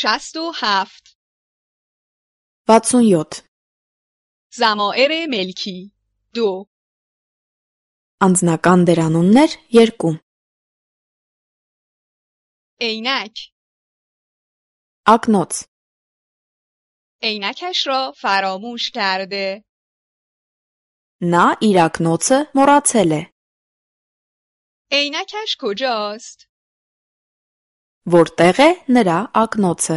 67 67 ضمائر ملکی 2 Անձնական դերանուններ 2 عینک Ակնոց عینکش را فراموش کرده Նա իր ակնոցը մոռացել է عینکش کجاست؟ Որտեղ է նրա ակնոցը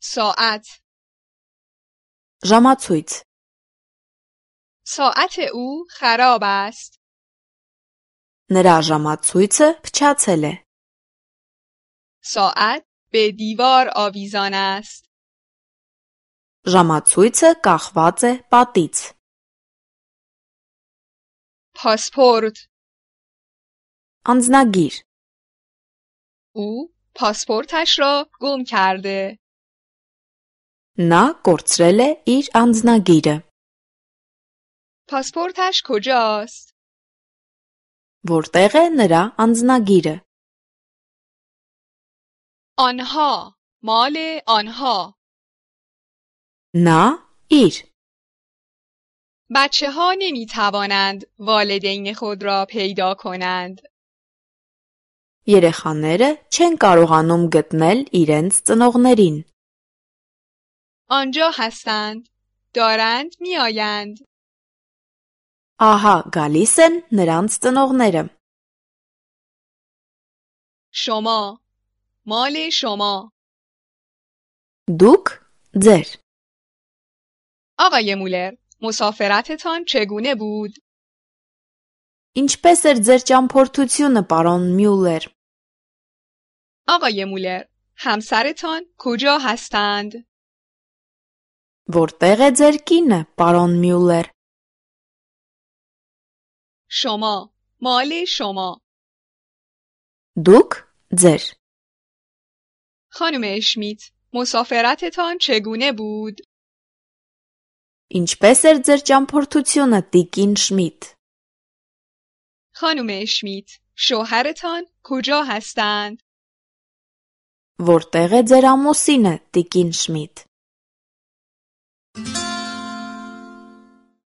ساعت Ժամացույց ساعت او خراب است Նրա ժամացույցը փչացել է ساعت به دیوار آویزان است Ժամացույցը կախված է պատից پاسپورت Անձնագիր او پاسپورتش را گم کرده Նա կորցրել է իր անձնագիրը پاسپورتش کجاست؟ Որտեղ է նրա անձնագիրը آنها مال آنها Նա իր بچه ها نمی توانند والدین خود را پیدا کنند Երեխաները չեն կարողանում գտնել իրենց ծնողներին آنجا هستند دارند می آیند Ահա գալիս են նրանց ծնողները شما مال شما Դուք ձեր آقای مولر مسافرتتان چگونه بود؟ Ինչպես էր ձեր ճամփորդությունը, պարոն Մյուլլեր آقای مولر همسرتان کجا هستند؟ Որտեղ է ձեր կինը, պարոն Մյուլլեր شما مال شما Դուք ձեր خانم اشمیت مسافرتتان چگونه بود؟ Ինչպես էր ձեր ճամփորդությունը, տիկին Շմիդ خانم اشمیت شوهرتان کجا هستند؟ Որտեղ է ձեր ամուսինը, տիկին Շմիդ